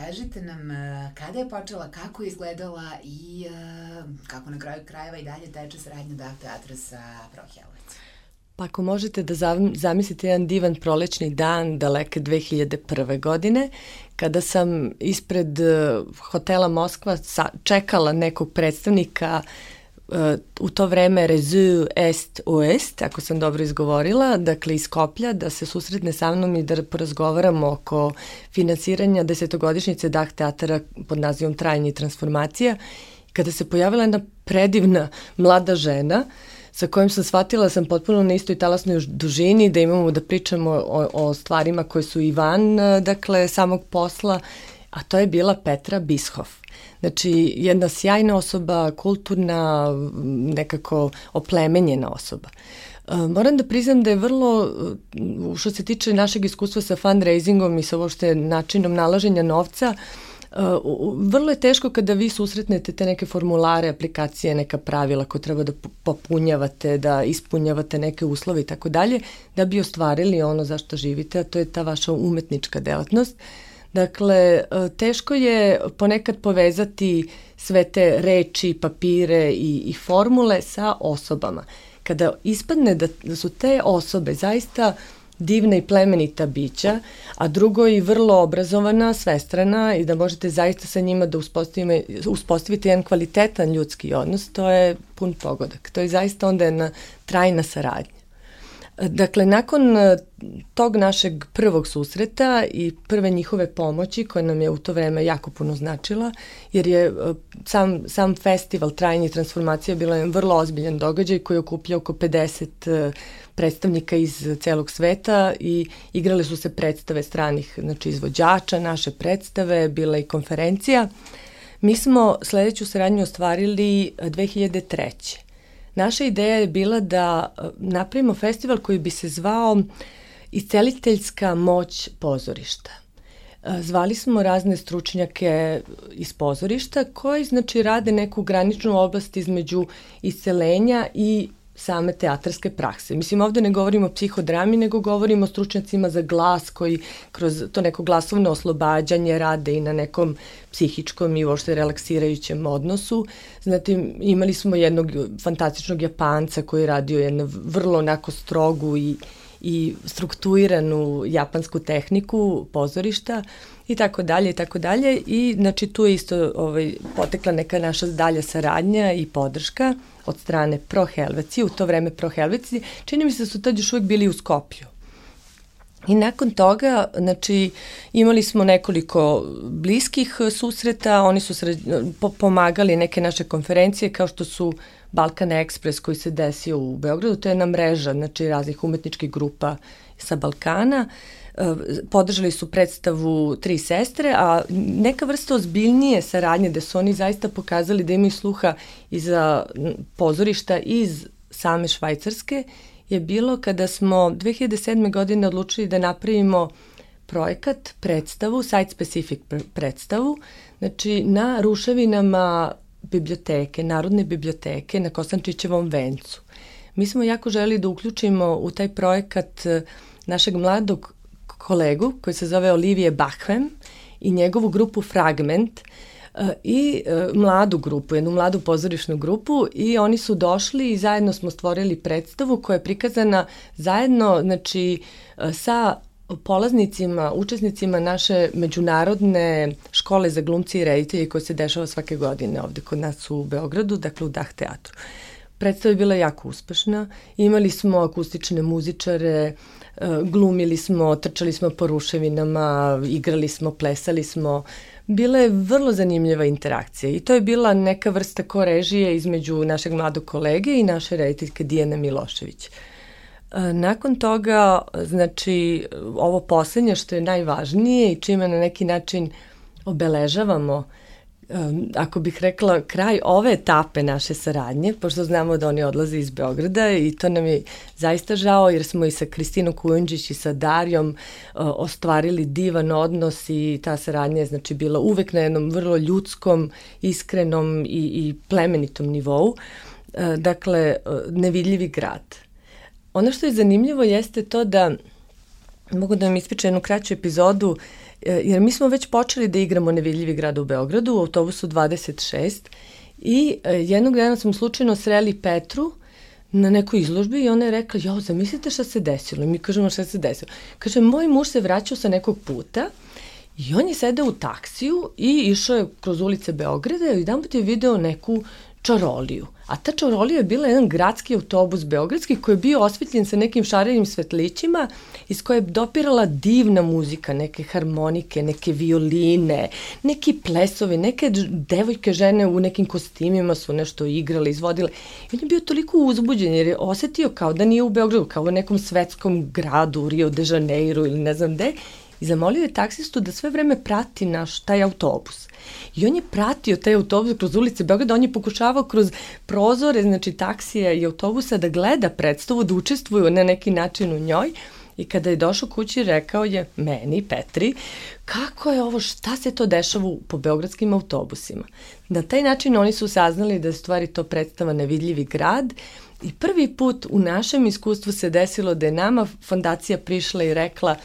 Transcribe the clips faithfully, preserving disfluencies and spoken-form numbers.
kažite nam kada je počela, kako je izgledala i kako na kraju krajeva i dalje teče saradnja Dah teatra sa Prohelvec? Pa ako možete da zamislite jedan divan prolećni dan daleke dve hiljade prve. godine, kada sam ispred hotela Moskva čekala nekog predstavnika u to vreme Réseau Est Ouest, ako sam dobro izgovorila, dakle iz Skoplja, da se susretne sa mnom i da porazgovaramo oko finansiranja desetogodišnjice Dah teatra pod nazivom Trajanje i transformacija. Kada se pojavila jedna predivna mlada žena sa kojom sam shvatila da sam potpuno na istoj talasnoj dužini, da imamo da pričamo o, o stvarima koje su i van, dakle, samog posla, a to je bila Petra Bischoff. Znači, jedna sjajna osoba, kulturna, nekako oplemenjena osoba. Moram da priznam da je vrlo, što se tiče našeg iskustva sa fundraisingom i sa uopšte načinom nalaženja novca, vrlo je teško kada vi susretnete te neke formulare, aplikacije, neka pravila koje treba da popunjavate, da ispunjavate neke uslove i tako dalje, da bi ostvarili ono za što živite, a to je ta vaša umetnička delatnost. Dakle, teško je ponekad povezati sve te reči, papire i, i formule sa osobama. Kada ispadne da, da su te osobe zaista divna i plemenita bića, a drugo i vrlo obrazovana, svestrana i da možete zaista sa njima da uspostavite jedan kvalitetan ljudski odnos, to je pun pogodak. To je zaista onda jedna trajna saradnja. Dakle, nakon tog našeg prvog susreta i prve njihove pomoći, koja nam je u to vreme jako puno značila, jer je sam, sam festival Trajanje i transformacija bila je vrlo ozbiljan događaj koji je okupljao oko pedeset predstavnika iz celog sveta i igrale su se predstave stranih, znači, izvođača, naše predstave, bila i konferencija. Mi smo sledeću saradnju ostvarili dve hiljade treće. Naša ideja je bila da napravimo festival koji bi se zvao Isceliteljska moć pozorišta. Zvali smo razne stručnjake iz pozorišta koji, znači, rade neku graničnu oblast između iscelenja i same teatarske prakse. Mislim, ovde ne govorimo o psihodrami, nego govorimo o stručnjacima za glas koji kroz to neko glasovno oslobađanje rade i na nekom psihičkom i uopšte relaksirajućem odnosu. Zatim, imali smo jednog fantastičnog Japanca koji je radio jednu vrlo onako strogu i, i strukturiranu japansku tehniku pozorišta i tako dalje i tako dalje. I znači tu je isto ovaj, potekla neka naša dalja saradnja i podrška od strane Prohelveci, u to vreme Prohelveci, čini mi se da su tad još uvek bili u Skoplju. I nakon toga, znači, imali smo nekoliko bliskih susreta, oni su sred, po, pomagali neke naše konferencije, kao što su Balkan Express koji se desio u Beogradu, to je jedna mreža, znači, raznih umetničkih grupa sa Balkana. Podržali su predstavu Tri sestre, a neka vrsta ozbiljnije saradnje gde su oni zaista pokazali da imaju sluha i za pozorišta iz same Švajcarske je bilo kada smo dve hiljade sedme. godine odlučili da napravimo projekat, predstavu, site-specific predstavu, znači na ruševinama biblioteke, Narodne biblioteke na Kosančićevom vencu. Mi smo jako želeli da uključimo u taj projekat našeg mladog kolegu koji se zove Olivier Bachwem i njegovu grupu Fragment i mladu grupu, jednu mladu pozorišnu grupu i oni su došli i zajedno smo stvorili predstavu koja je prikazana zajedno, znači, sa polaznicima, učesnicima naše međunarodne škole za glumci i reditelje koja se dešava svake godine ovde kod nas u Beogradu, dakle u Dah teatru. Predstava je bila jako uspešna, imali smo akustične muzičare, glumili smo, trčali smo po ruševinama, igrali smo, plesali smo. Bila je vrlo zanimljiva interakcija i to je bila neka vrsta korežije između našeg mladog kolege i naše rediteljke Dijane Milošević. Nakon toga, znači, ovo poslednje što je najvažnije i čime na neki način obeležavamo, ako bih rekla, kraj ove etape naše saradnje, pošto znamo da oni odlaze iz Beograda i to nam je zaista žao jer smo i sa Kristinom Kujundžić i sa Darijom uh, ostvarili divan odnos i ta saradnja je, znači, bila uvek na jednom vrlo ljudskom, iskrenom i, i plemenitom nivou. Uh, dakle, uh, Nevidljivi grad. Ono što je zanimljivo jeste to da, mogu da vam ispričam jednu kraću epizodu, jer mi smo već počeli da igramo Nevidljivi grad u Beogradu u autobusu dvadeset šest i jednog dana smo slučajno sreli Petru na nekoj izložbi i ona je rekla, jo, zamislite šta se desilo. I mi kažemo šta se desilo. Kaže, moj muž se vraćao sa nekog puta i on je sedeo u taksiju i išao je kroz ulice Beograda i jedan put je video neku čaroliju. A ta čarolija je bila jedan gradski autobus beogradski koji je bio osvetljen sa nekim šarenim svetlićima iz koje je dopirala divna muzika, neke harmonike, neke violine, neki plesovi, neke devojke žene u nekim kostimima su nešto igrale, izvodile. I on je bio toliko uzbuđen jer je osetio kao da nije u Beogradu, kao u nekom svetskom gradu, u Rio de Janeiro ili ne znam gde. I zamolio je taksistu da sve vreme prati naš taj autobus. I on je pratio taj autobus kroz ulice Beograda, on je pokušavao kroz prozore, znači taksija i autobusa da gleda predstavu, da učestvuju na neki način u njoj. I kada je došao kući, rekao je meni, Petri, kako je ovo, šta se to dešava po beogradskim autobusima. Na taj način oni su saznali da je stvari to predstava Nevidljivi grad i prvi put u našem iskustvu se desilo da je nama fondacija prišla i rekla,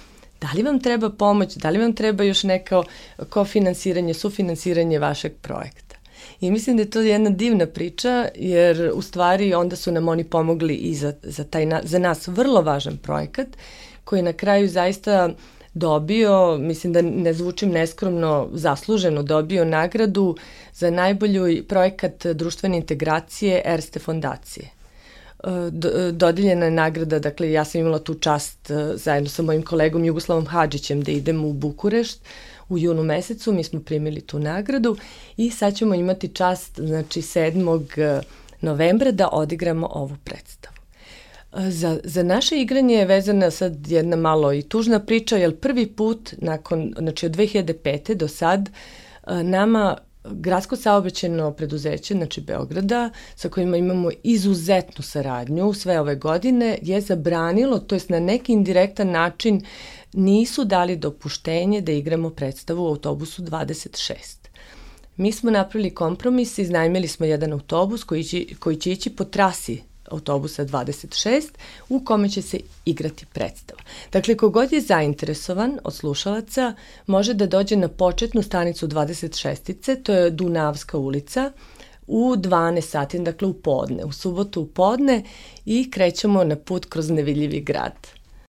da li vam treba pomoć, da li vam treba još neko kofinansiranje, sufinansiranje vašeg projekta. I mislim da je to jedna divna priča, jer u stvari onda su nam oni pomogli i za, za, taj, za nas vrlo važan projekat, koji je na kraju zaista dobio, mislim da ne zvučim neskromno, zasluženo dobio nagradu za najbolji projekat društvene integracije Erste fondacije. Dodeljena je nagrada, dakle ja sam imala tu čast zajedno sa mojim kolegom Jugoslavom Hadžićem da idemo u Bukurešt u junu mesecu, mi smo primili tu nagradu i sad ćemo imati čast, znači sedmog novembra da odigramo ovu predstavu. Za, za naše igranje je vezana sad jedna malo i tužna priča, jer prvi put nakon, znači od dve hiljade pete do sad nama Gradsko saobraćajno preduzeće, znači Beograda, sa kojima imamo izuzetnu saradnju sve ove godine, je zabranilo, to jest na neki indirektan način nisu dali dopuštenje da igramo predstavu u autobusu dvadeset šest. Mi smo napravili kompromis, iznajmili smo jedan autobus koji će, koji će ići po trasi autobusa dvadeset šest u kome će se igrati predstava. Dakle, kogod je zainteresovan od slušalaca može da dođe na početnu stanicu dvadeset šestice, to je Dunavska ulica, u dvanaest sati, dakle u podne, u subotu u podne i krećemo na put kroz Nevidljivi grad.